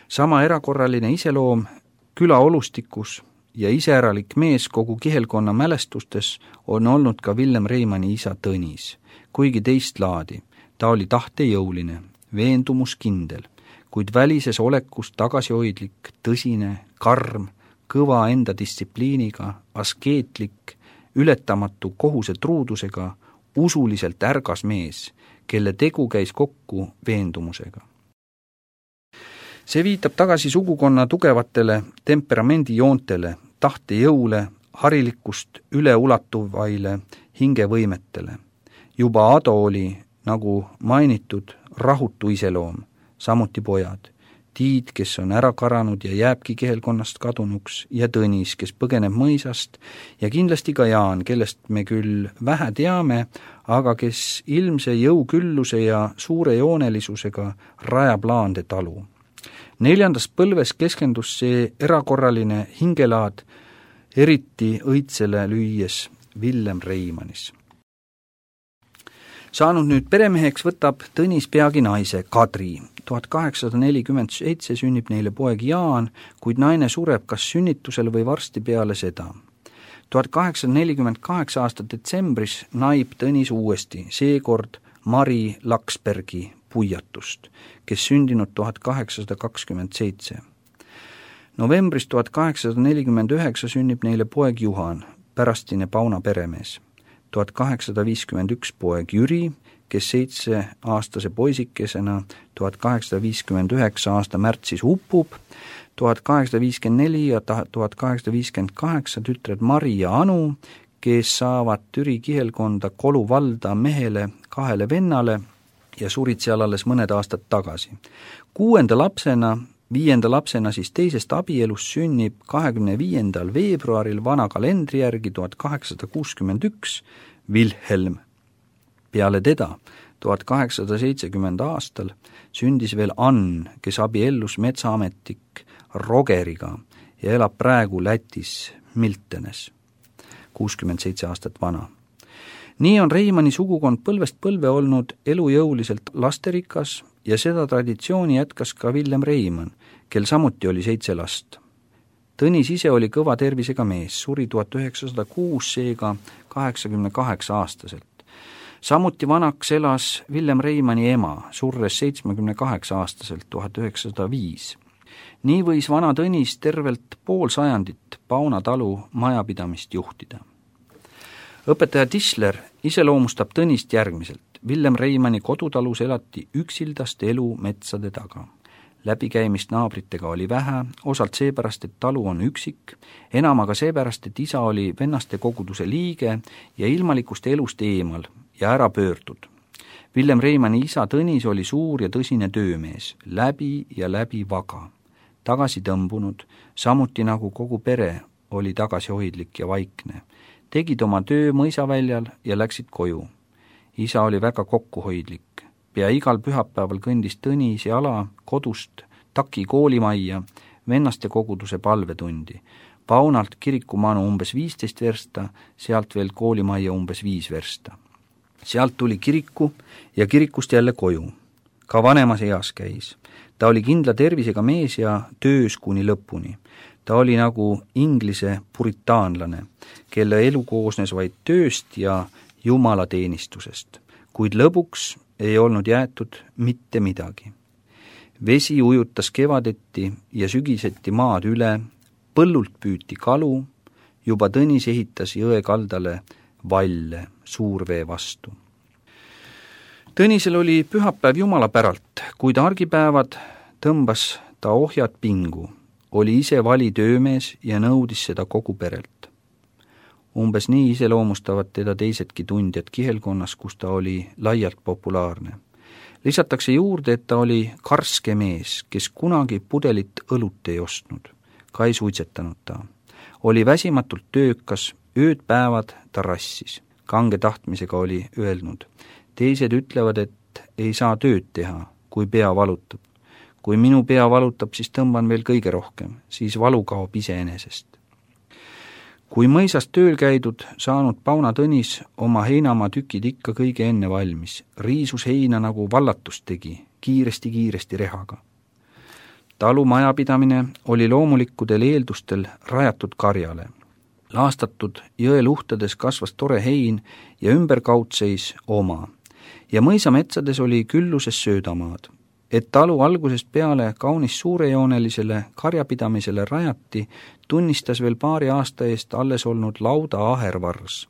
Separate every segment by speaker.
Speaker 1: Sama erakorraline iseloom külaolustikus ja iseäralik mees kogu kihelkonna mälestustes on olnud ka Villem Reimanni isa Tõnis, kuigi teist laadi. Ta oli tahtejõuline, veendumuskindel, kuid välises olekus tagasihoidlik, tõsine, karm, kõva enda distsipliiniga, askeetlik, ületamatu kohusetruudusega, usuliselt ärgas mees, kelle tegu käis kokku veendumusega. See viitab tagasi sugukonna tugevatele temperamendijoontele, tahtejõule, harilikust üleulatuvaile hingevõimetele. Juba Ado oli, nagu mainitud, rahutu iseloom, samuti pojad. Tiit, kes on ära karanud ja jääbki kihelkonnast kadunuks, ja Tõnis, kes põgeneb mõisast, ja kindlasti ka Jaan, kellest me küll vähe teame, aga kes ilmse jõukülluse ja suure joonelisusega rajab Laande talu. 4. põlves keskendus see erakorraline hingelaad eriti õitsele lüües Villem Reimannis. Saanud nüüd peremeheks võtab Tõnis peagi naise Kadri. 1847 sünnib neile poeg Jaan, kuid naine sureb kas sünnitusel või varsti peale seda. 1848 aasta detsembris naib Tõnis uuesti, seekord Mari Laksbergi puiatust, kes sündinud 1827. Novembris 1849 sünnib neile poeg Juhan, pärastine Pauna peremees. 1851 poeg Jüri, kes 7-aastase poisikesena 1859 aasta märtsis upub, 1854 ja 1858 tütred Mari ja Anu, kes saavad Türi kihelkonda Kolu valda mehele 2 vennale ja surid seal alles mõned aastad tagasi. 5. lapsena siis teisest abielust sünnib 25. veebruaril vana kalendri järgi 1861 Wilhelm. Peale teda 1870 aastal sündis veel Ann, kes abiellus metsaametnik Rogeriga ja elab praegu Lätis Miltenes, 67 aastat vana. Nii on Reimanni sugukond põlvest põlve olnud elujõuliselt lasterikas ja seda traditsiooni jätkas ka Villem Reimann, kel samuti oli 7 last. Tõnis ise oli kõva tervisega mees, suri 1906, seega 88-aastaselt. Samuti vanaks elas Villem Reimanni ema, surres 78-aastaselt 1905. Nii võis vana Tõnis tervelt pool sajandit Pauna talu majapidamist juhtida. Õpetaja Tisler iseloomustab Tõnist järgmiselt. Villem Reimanni kodutalus elati üksildast elu metsade taga. Läbikäimist naabritega oli vähe, osalt seepärast, et talu on üksik, enam aga seepärast, et isa oli vennaste koguduse liige ja ilmalikust elust eemal ja ära pöördud. Villem Reimanni isa Tõnis oli suur ja tõsine töömees, läbi ja läbi vaga, tagasi tõmbunud, samuti nagu kogu pere oli tagasihoidlik ja vaikne. Tegid oma töö mõisaväljal ja läksid koju. Isa oli väga kokkuhoidlik. Pea igal pühapäeval kõndis Tõnis jala kodust Taki koolimajja vennaste koguduse palvetundi. Paunalt kirikumanu umbes 15 versta, sealt veel koolimajja umbes 5 versta. Sealt tuli kiriku ja kirikust jälle koju. Ka vanemas eas käis. Ta oli kindla tervisega mees ja töös kuni lõpuni. Ta oli nagu inglise puritaanlane, kelle elu koosnes vaid tööst ja jumalateenistusest, kuid lõbuks ei olnud jäetud mitte midagi. Vesi ujutas kevadeti ja sügiseti maad üle, põllult püüti kalu, juba Tõnis ehitas jõe kaldale valle suurvee vastu. Tõnisel oli pühapäev jumala päralt, kuid argipäevad tõmbas ta ohjad pingu, oli ise vali töömees ja nõudis seda kogu perelt. Umbes nii iseloomustavad teda teisedki tundjad kihelkonnas, kus ta oli laialt populaarne. Lisatakse juurde, et ta oli karske mees, kes kunagi pudelit õlut ei ostnud, ka ei suitsetanud ta. Oli väsimatult töökas, ööd-päevad ta rassis. Kange tahtmisega oli öelnud. Teised ütlevad, et ei saa tööd teha, kui pea valutab. Kui minu pea valutab, siis tõmban veel kõige rohkem, siis valu kaob iseenesest. Kui mõisast tööl käidud, saanud Pauna Tõnis oma heinamaa tükid ikka kõige enne valmis, riisus heina nagu vallatust tegi, kiiresti rehaga. talu majapidamine oli loomulikudel eeldustel rajatud karjale. Laastatud jõeluhtades kasvas tore hein ja ümberkaud seis oma. Ja mõisametsades oli külluses söödamaad. Et talu algusest peale kaunis suurejoonelisele karjapidamisele rajati, tunnistas veel paari aasta eest alles olnud lauda ahervars.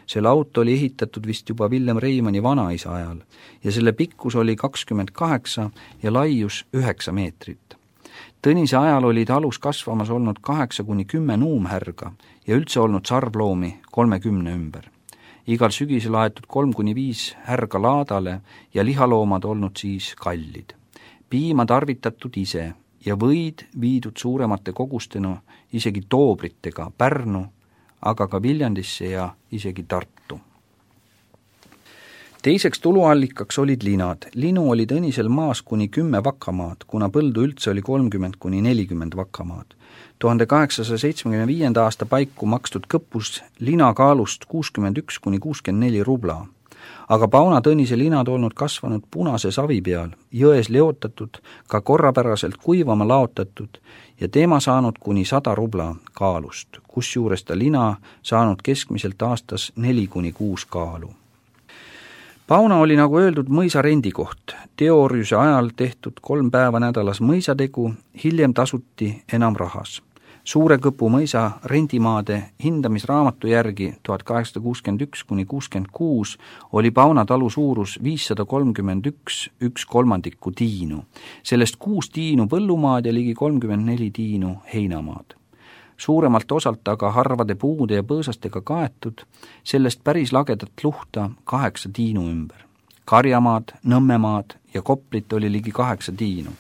Speaker 1: See laut oli ehitatud vist juba Villem Reimanni vanaisa ajal ja selle pikkus oli 28 ja laius 9 meetrit. Tõnise ajal oli talus kasvamas olnud 8-10 nuumhärga ja üldse olnud sarvloomi 30 ümber. Igal sügisel aetud 3-5 härga laadale ja lihaloomad olnud siis kallid. Piima tarvitatud ise ja võid viidud suuremate kogustena isegi toobritega Pärnu, aga ka Viljandisse ja isegi Tartu. Teiseks tuluallikaks olid linad. Linu oli Tõnisel maas kuni 10 vakamaad, kuna põldu üldse oli 30-40 vakamaad. 1875. aasta paiku makstud kõpus lina kaalust 61-64 rubla. Aga Pauna Tõnise linad olnud kasvanud punase savi peal, jões leotatud, ka korrapäraselt kuivama laotatud ja teema saanud kuni 100 rubla kaalust, kusjuures ta lina saanud keskmiselt aastas 4-6 kaalu. Pauna oli, nagu öeldud, mõisa rendikoht. Teooriuse ajal tehtud 3 päeva nädalas mõisategu, hiljem tasuti enam rahas. Suure Kõpu mõisa rendimaade hindamisraamatu järgi 1861-66 oli Pauna talu suurus 531 1/3 tiinu. Sellest 6 tiinu põllumaad ja ligi 34 tiinu heinamaad. Suuremalt osalt aga harvade puude ja põõsastega kaetud, sellest päris lagedat luhta 8 tiinu ümber. Karjamaad, Nõmmemaad ja Koplit oli ligi 8 tiinu.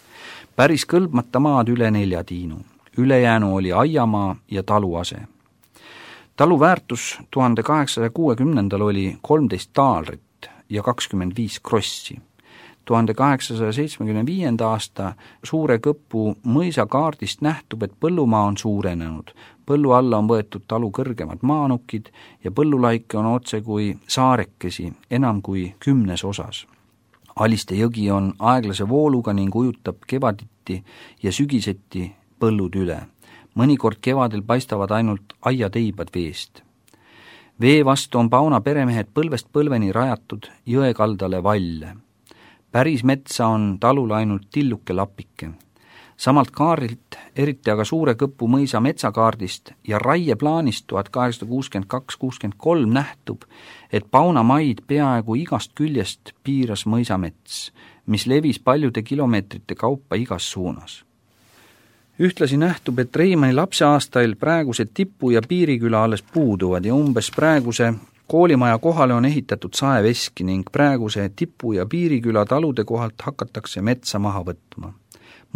Speaker 1: Päris kõlbmata maad üle 4 tiinu. Ülejäänu oli aiamaa ja taluase. Talu väärtus 1860. oli 13 taalrit ja 25 krossi. 1875. aasta Suure Kõpu mõisakaardist nähtub, et põllumaa on suurenenud. Põllu alla on võetud talu kõrgemad maanukid ja põllulaike on otse kui saarekesi enam kui 10 osas. Aliste jõgi on aeglase vooluga ning ujutab kevaditi ja sügiseti põllud üle. Mõnikord kevadel paistavad ainult aiateibad veest. Vee vastu on Pauna peremehed põlvest põlveni rajatud jõekaldale valle. Päris metsa on talul ainult tilluke lapike. Samalt kaardilt, eriti aga Suure Kõpu mõisa metsakaardist ja raieplaanist 1862-63 nähtub, et Pauna maid peaaegu igast küljest piiras mõisamets, mis levis paljude kilomeetrite kaupa igas suunas. Ühtlasi nähtub, et Reimanni lapseaastail praeguse Tipu ja Piiriküla alles puuduvad ja umbes praeguse koolimaja kohale on ehitatud saeveski ning praeguse Tipu ja Piiriküla talude kohalt hakatakse metsa maha võtma.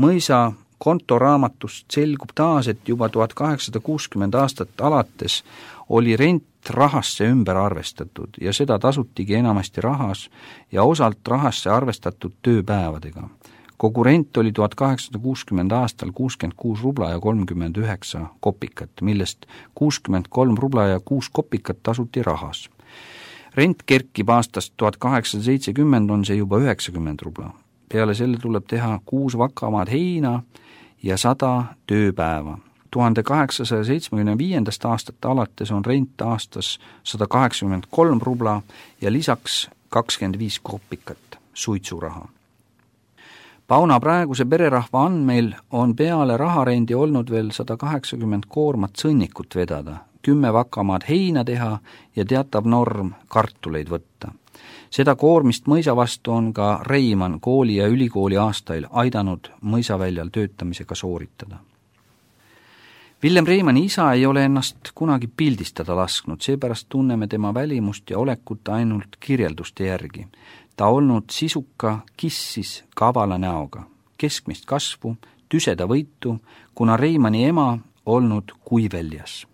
Speaker 1: Mõisa kontoraamatust selgub taas, et juba 1860 aastat alates oli rent rahasse ümber arvestatud ja seda tasutigi enamasti rahas ja osalt rahasse arvestatud tööpäevadega. Kogu rent oli 1860 aastal 66 rubla ja 39 kopikat, millest 63 rubla ja 6 kopikat tasuti rahas. Rent kerkib aastast 1870 on see juba 90 rubla. Peale selle tuleb teha 6 vakamaad heina ja 100 tööpäeva. 1875. aastat alates on rent aastas 183 rubla ja lisaks 25 kopikat suitsuraha. Pauna praeguse pererahva andmeil on peale raharendi olnud veel 180 koormat sõnnikut vedada, 10 vakamaad heina teha ja teatav norm kartuleid võtta. Seda koormist mõisa vastu on ka Reimann kooli ja ülikooli aastail aidanud mõisaväljal töötamisega sooritada. Villem Reimanni isa ei ole ennast kunagi pildistada lasknud, seepärast tunneme tema välimust ja olekut ainult kirjelduste järgi. Ta olnud sisuka, kissis, kavala näoga, keskmist kasvu, tüseda võitu, kuna Reimanni ema olnud kuiväljas.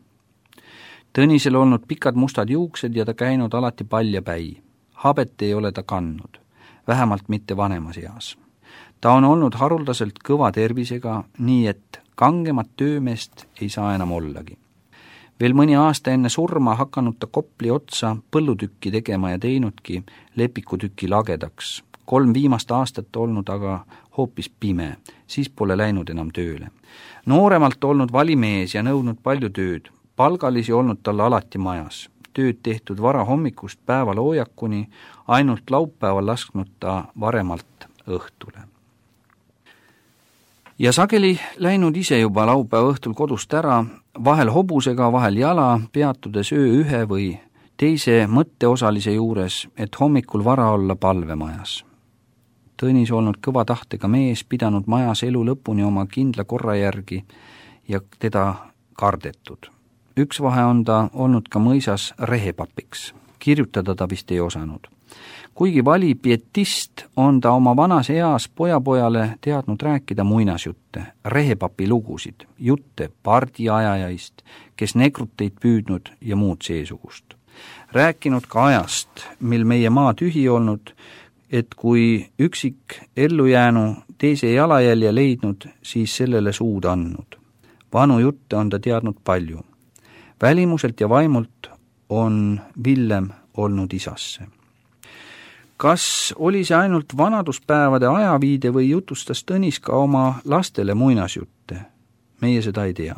Speaker 1: Tõnisel olnud pikad mustad juuksed ja ta käinud alati paljapäi. Habet ei ole ta kandnud, vähemalt mitte vanemas eas. Ta on olnud haruldaselt kõva tervisega, nii et kangemat töömeest ei saa enam ollagi. Veel mõni aasta enne surma hakanud ta Kopli otsa põllutükki tegema ja teinudki lepikutüki lagedaks, 3 viimast aastat olnud aga hoopis pime, siis pole läinud enam tööle. Nooremalt olnud valimees ja nõudnud palju tööd, palgalisi olnud talle alati majas, tööd tehtud vara hommikust päevaloojakuni, ainult laupäeval lasknud ta varemalt õhtule. Ja sageli läinud ise juba laupäeva õhtul kodust ära, vahel hobusega, vahel jala, peatudes öö ühe või teise mõtteosalise juures, et hommikul vara olla palvemajas. Tõnis olnud kõva tahtega mees, pidanud majas elu lõpuni oma kindla korra järgi ja teda kardetud. Üks vahe on ta olnud ka mõisas rehepapiks. Kirjutada ta vist ei osanud. Kuigi vali pietist, on ta oma vanas eas pojapojale teadnud rääkida muinasjutte, rehepapi lugusid, jutte pardiajajaist, kes negruteid püüdnud ja muud seesugust. Rääkinud ka ajast, mil meie maa tühi olnud, et kui üksik ellujäänu teise jalajälje leidnud, siis sellele suud andnud. Vanu jutte on ta teadnud palju. Välimuselt ja vaimult on Villem olnud isasse. Kas oli see ainult vanaduspäevade ajaviide või jutustas Tõnis ka oma lastele muinasjutte? Meie seda ei tea.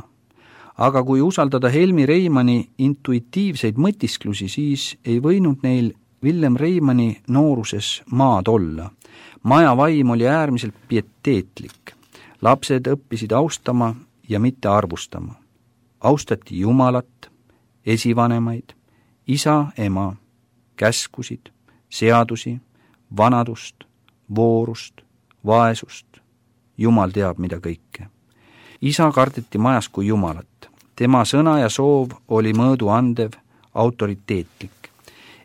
Speaker 1: Aga kui usaldada Helmi Reimanni intuitiivseid mõtisklusi, siis ei võinud neil Villem Reimanni nooruses maad olla. Maja vaim oli äärmiselt pieteetlik. Lapsed õppisid austama ja mitte arvustama. Austati Jumalat, esivanemaid, isa, ema, käskusid, seadusi, vanadust, voorust, vaesust, Jumal teab mida kõike. Isa kardeti majas kui Jumalat. Tema sõna ja soov oli mõõdu andev, autoriteetlik.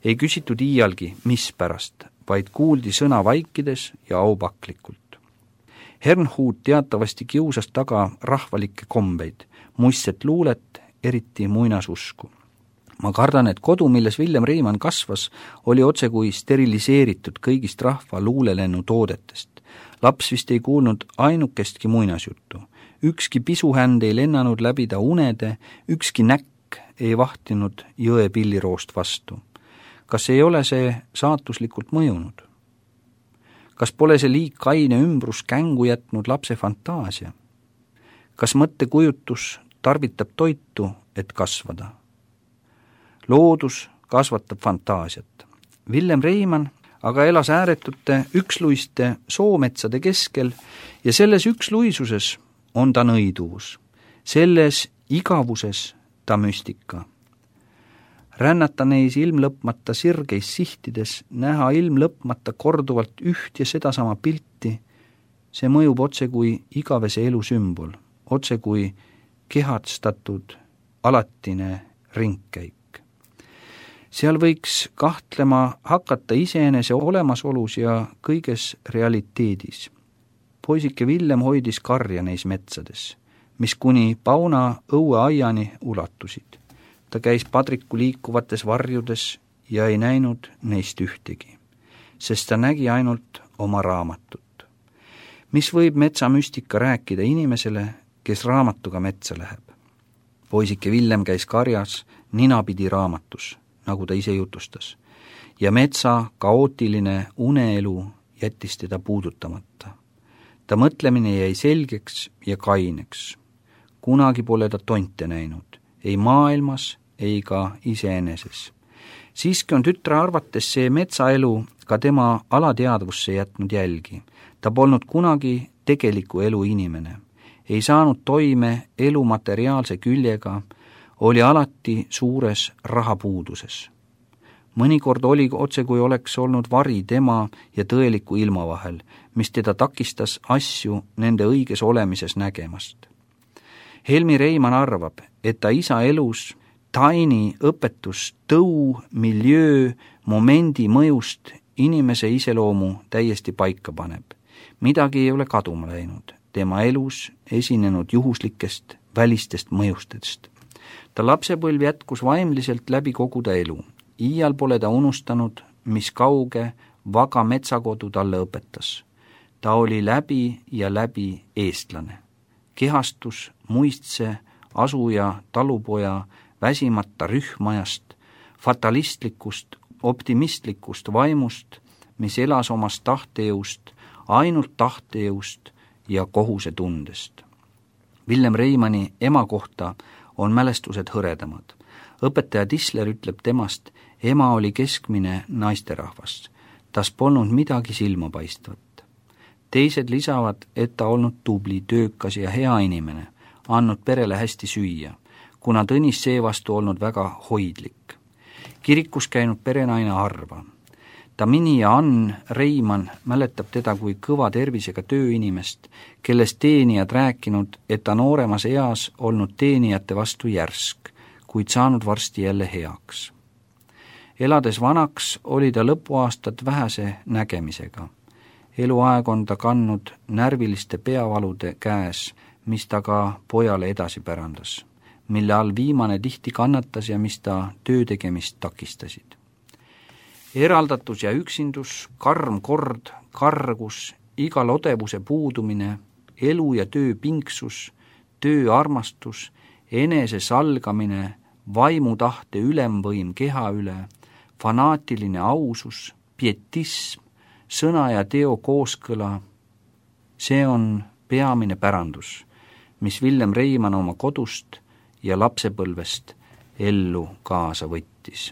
Speaker 1: Ei küsitud iialgi, mis pärast, vaid kuuldi sõna vaikides ja aupaklikult. Hernhut teatavasti kiusas taga rahvalikke kombeid, muistset luulet, eriti muinasusku. Ma kardan, et kodu, milles Villem Reimann kasvas, oli otse kui steriliseeritud kõigist rahva luulelennu toodetest. Laps vist ei kuulnud ainukestki muinasjuttu. Ükski pisuhänd ei lennanud läbi ta unede, ükski näkk ei vahtinud jõe pilliroost vastu. Kas ei ole see saatuslikult mõjunud? Kas pole see liik kaine ümbrus kängu jätnud lapse fantaasia? Kas mõttekujutus tarvitab toitu, et kasvada? Loodus kasvatab fantaasiat. Villem Reimann aga elas ääretute üksluiste soometsade keskel ja selles üksluisuses on ta nõiduvus. Selles igavuses ta müstika. Rännata neis ilmlõpmata sirgeis sihtides, näha ilmlõpmata korduvalt üht ja sedasama pilti, see mõjub otse kui igavese elu sümbol, otse kui kehatstatud alatine ringkäik. Seal võiks kahtlema hakata iseenese olemasolus ja kõiges realiteedis. Poisike Villem hoidis karja neis metsades, mis kuni Pauna õueaiani ulatusid. Ta käis padriku liikuvates varjudes ja ei näinud neist ühtegi, sest ta nägi ainult oma raamatut. Mis võib metsamüstika rääkida inimesele, kes raamatuga metsa läheb? Poisike Villem käis karjas ninapidi raamatus, nagu ta ise jutustas, ja metsa kaootiline uneelu jättis teda puudutamata. Ta mõtlemine jäi selgeks ja kaineks. Kunagi pole ta tonte näinud, ei maailmas, ei ka iseeneses. Siiski on tütre arvates see metsaelu ka tema alateadvusse jätnud jälgi. Ta polnud kunagi tegeliku elu inimene. Ei saanud toime elu materiaalse küljega, oli alati suures rahapuuduses. Mõnikord oli otse kui oleks olnud vari tema ja tõeliku ilma vahel, mis teda takistas asju nende õiges olemises nägemast. Helmi Reimann arvab, et ta isa elus taini õpetus tõu, miljöö, momendi mõjust inimese iseloomu täiesti paika paneb. Midagi ei ole kaduma läinud, tema elus esinenud juhuslikest välistest mõjustest. Ta lapsepõlv jätkus vaimliselt läbi kogu ta elu. Iial pole ta unustanud, mis kauge, vaga metsakodu talle õpetas. Ta oli läbi ja läbi eestlane. Kehastus, muistse, asuja, talupoja, väsimata rühmajast, fatalistlikust, optimistlikust vaimust, mis elas omast tahtejõust, ainult tahtejõust ja kohusetundest. Villem Reimanni ema kohta on mälestused hõredamad. Õpetaja Tisler ütleb temast, ema oli keskmine naisterahvas, tas polnud midagi silmapaistvat. Teised lisavad, et ta olnud tubli, töökas ja hea inimene, andnud perele hästi süüa, kuna Tõnis seevastu olnud väga hoidlik. Kirikus käinud perenaine harva. Tamini ja Ann Reimann mäletab teda kui kõva tervisega tööinimest, kellest teenijad rääkinud, et ta nooremas eas olnud teenijate vastu järsk, kuid saanud varsti jälle heaks. Elades vanaks oli ta lõpuaastad vähese nägemisega. Eluaeg on ta kandnud närviliste peavalude käes, mis ta ka pojale edasi pärandas, mille all viimane tihti kannatas ja mis ta töö tegemist takistasid. Eraldatus ja üksindus, karm kord, kargus, igal odevuse puudumine, elu ja töö pinksus, tööarmastus, enese salgamine, vaimutahte ülemvõim keha üle, fanaatiline ausus, pietism, sõna ja teo kooskõla, see on peamine pärandus, mis Villem Reimann oma kodust ja lapsepõlvest ellu kaasa võttis.